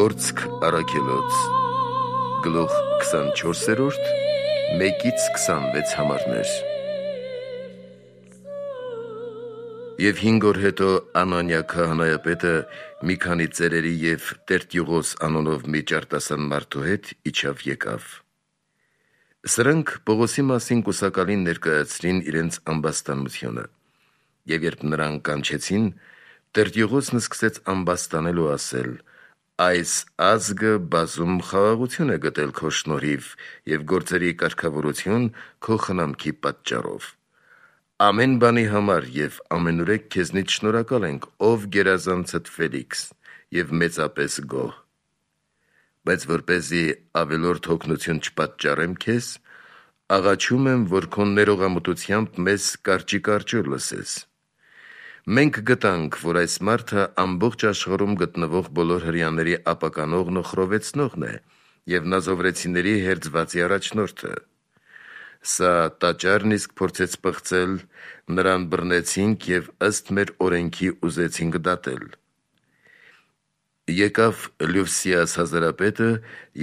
Գործք առաքելոց գլուխ 24-րդ 1-26 համարներ։ Եվ 5 օր հետո Անանիա քահանայապետը մի քանի ծերերի և Տերտյուղոս անունով մի ճարտասան մարդու հետ իջավ եկավ։ Սրանք Պողոսի մասին կուսակալին ներկայացրին իրենց ամբաստանությունը, և երբ նրան կանչեցին, Տերտյուղոսն սկսեց ամբաստանել ու ասել. «Այս ազգը բազում խաղաղություն է գտել քո շնորհիվ և գործերի կարգավորություն քո խնամքի պատճառով։ Ամեն բանի համար և ամենուրեք քեզնից շնորհակալ ենք, ով գերազանցդ Ֆելիքս, և մեծապես գոհ։ Բայց որպեսզի ավելորդ հոգնություն չպատճառեմ քեզ, աղաչում եմ, որ քո ներողամտությամբ մեզ կարճի լսես։ Մենք գտանք, որ այս մարդը ամբողջ աշխարհում գտնվող բոլոր հրեաների ապականողն ու խռովեցնողն է և նազովրեցիների հերձվածի առաջնորդը։ Սա տաճարն իսկ փորձեց պղծել, նրան բռնեցինք և ըստ մեր օրենքի ուզեցինք դատել։ Եկավ Լյովսիաս Հազարապետը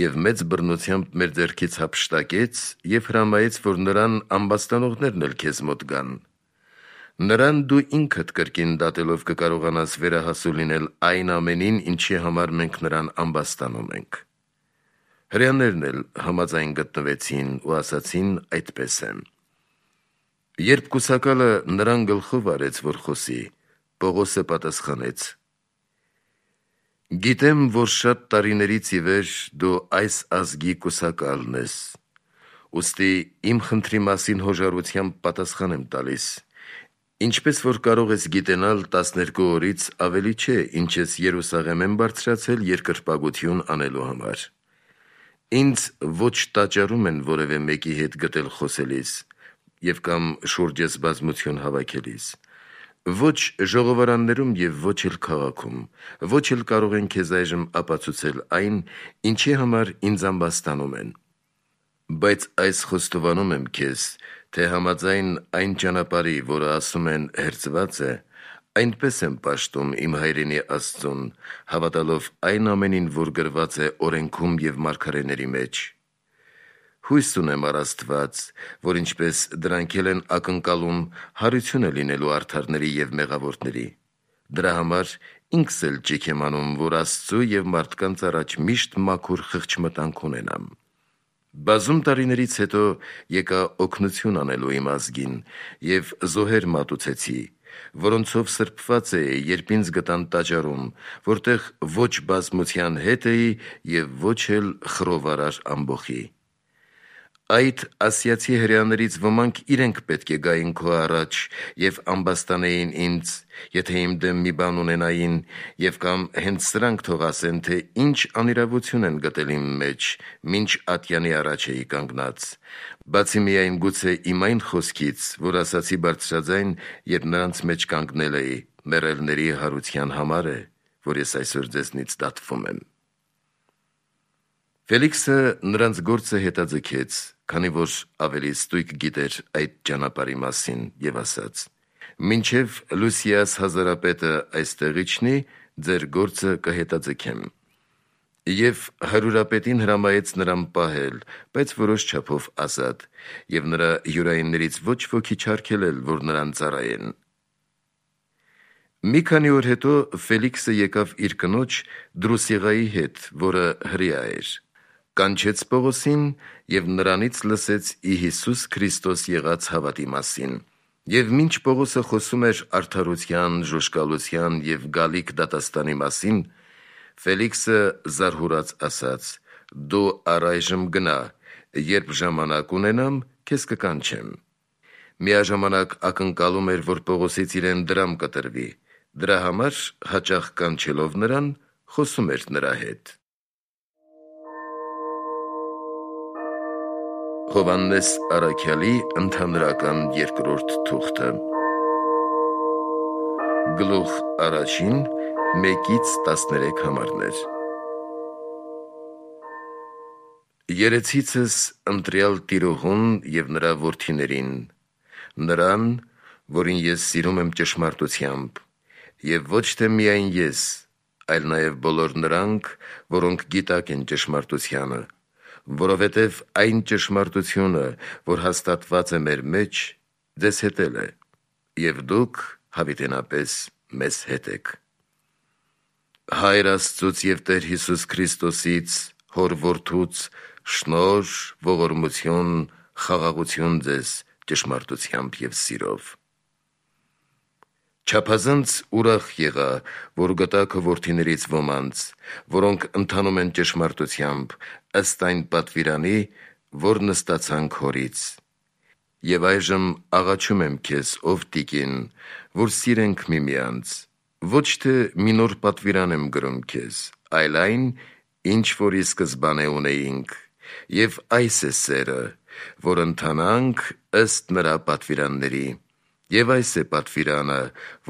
և մեծ բռնությամբ մեր ձեռքից հափշտակեց և հրամայեց, որ նրան ամբաստանողներն էլ քեզ մոտ գան։ Նրան դու ինքդ կրկին դատելով կկարողանաս վերահասու լինել այն ամենին, ինչի համար մենք նրան ամբաստանում ենք։ Հրեաներն էլ համաձայն գտնվեցին ու ասացին. այդպես է։ Երբ կուսակալը նրան գլխով արեց, որ խոսի, Պողոսը պատասխանեց. «Գիտեմ, որ շատ տարիներից ի վեր դու այս ազգի կուսակալն ես, ուստի իմ խնդրի մասին հոժարությամբ պատասխան եմ տալիս։ Ինչպես որ կարող ես գիտենալ, 12 օրից ավելի չէ, ինչ ես Երուսաղեմ եմ բարձրացել երկրպագություն անելու համար։ Ինձ ոչ տաճարում են որևէ մեկի հետ գտել խոսելիս և կամ շուրջս բազմություն հավաքելիս, ոչ ժողովարաններում և ոչ էլ քաղաքում, ոչ էլ կարող են քեզ այժմ ապացուցել այն, ինչի համար ինձ ամբաստանում են։ Բայց այս խոստովանում եմ քեզ, թե համաձայն այն ճանապարհի, որը ասում են հերձված է, այնպես եմ պաշտում իմ հայրենի Աստծուն, հավատալով այն ամենին, որ գրված է օրենքում և մարգարեների մեջ։ Հույս ունեմ առ Աստված, որ ինչպես դրանք էլ են ակնկալում, հարություն է լինելու արդարների և մեղավորների։ Դրա համար ինքս էլ ճիգ եմ անում, որ Աստծու և մարդկանց առաջ միշտ մաքուր խղճմտանք ունենամ։ Բազում տարիներից հետո եկա օգնություն անելու իմ ազգին և զոհեր մատուցեցի, որոնցով սրբված էի, երբ ինձ գտան տաճարում, որտեղ ոչ բազմության հետ էի և ոչ էլ խռովարար ամբոխի։ Այդ ասիացի հրեաներից ոմանք իրենք պետք է գային քո առաջ և ամբաստանեին ինձ, եթե իմ դեմ մի բան ունենային, և կամ հենց սրանք թող ասեն, թե ինչ անիրավություն են գտել իմ մեջ, մինչ ատյանի առաջ էի կանգնած, բացի միայն գուցե իմ այն խոսքից, որ ասացի բարձրաձայն, երբ նրանց մեջ կանգնել էի, մեռելների հարության համար է, որ ես այսօր ձեզնից դատվում եմ։ Ֆելիքսը նրանց գործը հետաձգեց, քանի որ ավելի ստույգ գիտեր այդ ճանապարհի մասին, և ասաց. «Մինչև Լյուսիաս Հազարապետը այստեղ իջնի, ձեր գործը կհետաձգեմ»։ Եվ հարյուրապետին հրամայեց նրան պահել, բայց որոշ չափով ազատ, և նրա հյուրայիններից ոչ ոքի չարգելել, որ նրան ծառայեն։ Մի քանի օր հետո Ֆելիքսը եկավ իր կնոջ Դրուսիղայի հետ, որը հրեա էր, կանչեց Պողոսին և նրանից լսեց ի Հիսուս Քրիստոս եղած հավատի մասին։ Եվ մինչ Պողոսը խոսում էր արդարության, ժուժկալության և գալիք դատաստանի մասին, Ֆելիքսը զարհուրած ասաց. «Դու առայժմ գնա, երբ ժամանակ ունենամ, քեզ կկանչեմ»։ Միաժամանակ ակնկալում էր, որ Պողոսից իրեն դրամ կտրվի, դրա համար հաճախ կանչելով նրան, խոսում էր նրա հետ։ Հովհաննես առաքյալի ընդհանրական երկրորդ թուղթը գլուխ 1 1-13 համարներ։ Երեցիցս ընտրյալ տիրոհուն և նրա որդիներին, նրան, որին ես սիրում եմ ճշմարտությամբ, և ոչ թե միայն ես, այլ նաև բոլոր նրանք, որոնք գիտակ են ճշմարտությանը, որովհետև այն ճշմարտությունը, որ հաստատված է մեր մեջ, ձեզ հետ է, և դուք հավիտենապես մեզ հետ եք։ Հայր Աստծուց և Տեր Հիսուս Քրիստոսից, Հոր Որդուց, շնորհ, ողորմություն, խաղաղություն ձեզ ճշմարտությամբ և սիրով։ Չափազանց ուրախ եղա, որ գտա քո որդիներից ոմանց, որոնք ընթանում են ճշմարտությամբ, ըստ այն պատվիրանի, որ նստացան քորից։ Եվ այժմ աղաչում եմ քեզ, ով տիկին, որ սիրենք միմյանց, ոչ թե մի նոր պատվիրան եմ գրում քեզ, այլ այն, ինչ որ ի սկզբանե ունեինք, և այս է սերը, որ ընթանանք ըստ նրա պատվիրանների, և այս է պատվիրանը,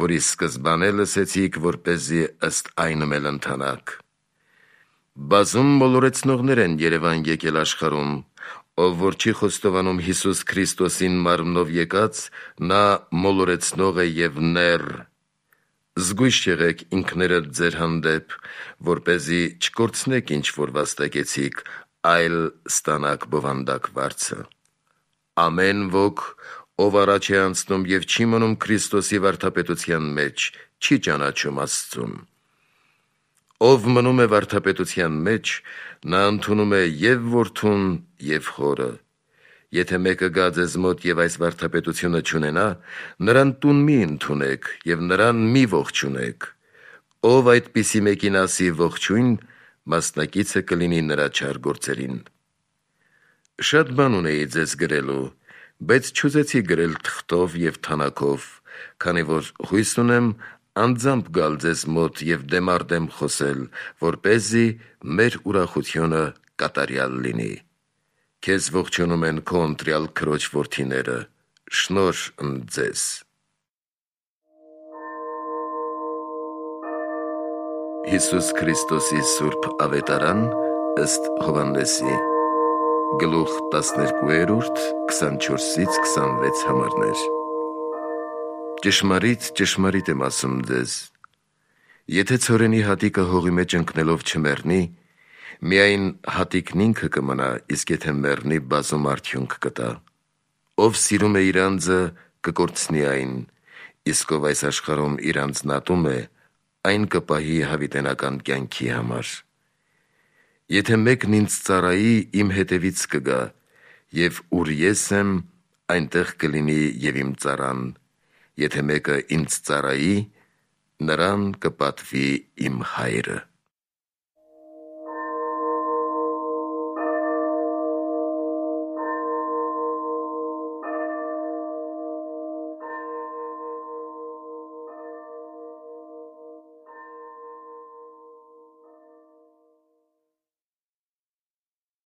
որ ի սկզբանե լսեցիք, որպեսզի ըստ այնմ էլ ընթանաք։ Բազում մոլորեցնողներ են երևան եկել աշխարհում, ով որ չի խոստովանում Հիսուս Քրիստոսին մարմնով եկած, նա մոլորեցնող է և նեռ։ Զգույշ եղեք ինքներդ ձեր հանդեպ, որպեսզի չկորցնեք ինչ որ վաստակեցիք, այլ ստանաք բովանդակ վարձը։ Ամեն ոք, ով առաջ է անցնում և չի մնում Քրիստոսի վարդապետության մեջ, չի ճանաչում Աստծուն։ Ով մնում է վարդապետության մեջ, նա ընդունում է և Որդուն, և Հորը։ Եթե մեկը գա ձեզ մոտ և այս վարդապետությունը չունենա, նրան տուն մի ընդունեք և նրան մի ողջունեք։ Ով այդպիսի մեկին ասի ողջույն, մասնակիցը կլինի նրա չար գործերին։ Շատ բան ունեի ձեզ գրելու, բայց չուզեցի գրել թղթով և թանաքով, քանի որ հույս ունեմ անձամբ գալ ձեզ մոտ և դեմառդեմ խոսել, որպեսզի մեր ուրախությունը կատարյալ լինի։ Քեզ ողջունում են քո ընտրյալ քրոջ որդիները։ Շնորհ ընդ ձեզ։ Հիսուս Քրիստոսի Սուրբ Ավետարան ըստ Հովհաննեսի, գլուխ 12, 24-26 համարներ։ Ճշմարիտ, ճշմարիտ եմ ասում ձեզ, եթե ցորենի հատիկը հողի մեջ ընկնելով չմեռնի, միայն հատիկն ինքը կմնա, իսկ եթե մեռնի, բազում արդյունք կտա։ Ով սիրում է իր անձը, կկորցնի այն, իսկ ով այս աշխարհում իր անձն ատում է, այն կպահի հավիտենական կյանքի համար։ Եթե մեկն ինձ ծառայի, իմ հետևից կգա, և ուր ես եմ, այնտեղ կլինի և իմ ծառան։ Եթե մեկը ինձ ծառայի, նրան կպատվի իմ Հայրը։